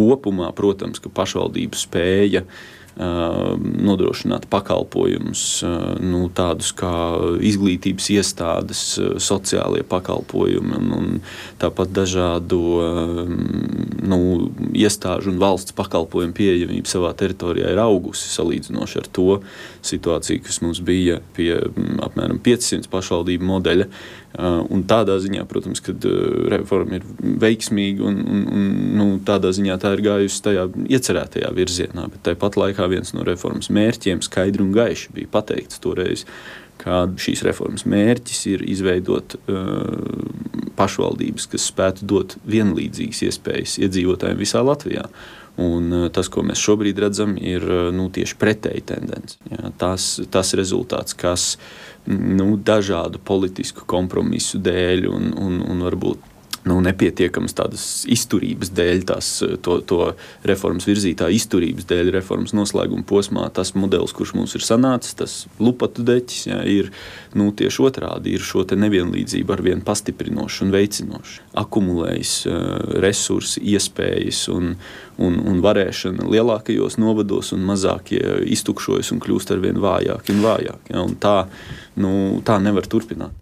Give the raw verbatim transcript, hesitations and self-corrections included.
kopumā, protams, ka pašvaldību spēja nodrošināt pakalpojumus, nu, tādus kā izglītības iestādes, sociālie pakalpojumi un, un tāpat dažādu nu, iestāžu un valsts pakalpojumu pieejamība savā teritorijā ir augusi salīdzinoši ar to situāciju, kas mums bija pie apmēram piecsimt pašvaldību modeļa. Un tādā ziņā, protams, kad reforma ir veiksmīga un, un, un nu, tādā ziņā tā ir gājusi tajā iecerētajā virzienā, bet tāpat laikā viens no reformas mērķiem skaidri un gaiši bija pateikts toreiz, ka šīs reformas mērķis ir izveidot uh, pašvaldības, kas spētu dot vienlīdzīgas iespējas iedzīvotājiem visā Latvijā. Un uh, tas, ko mēs šobrīd redzam, ir uh, nu, tieši pretēji tendence. Jā, tas, tas rezultāts, kas nu, dažādu politisku kompromisu dēļ un, un, un varbūt nu, nepietiekamas tādas izturības dēļ, tās, to, to reformas virzītā izturības dēļ reformas noslēguma posmā, tas modelis, kurš mums ir sanācis, tas lupatu deķis, jā, ir nu, tieši otrādi, ir šo te nevienlīdzību arvien pastiprinoši un veicinoši. Akumulējis uh, resursi, iespējas un, un, un varēšana lielākajos novados un mazākie iztukšojas un kļūst arvien vājāki un vājāki. Jā, un tā, nu, tā nevar turpināt.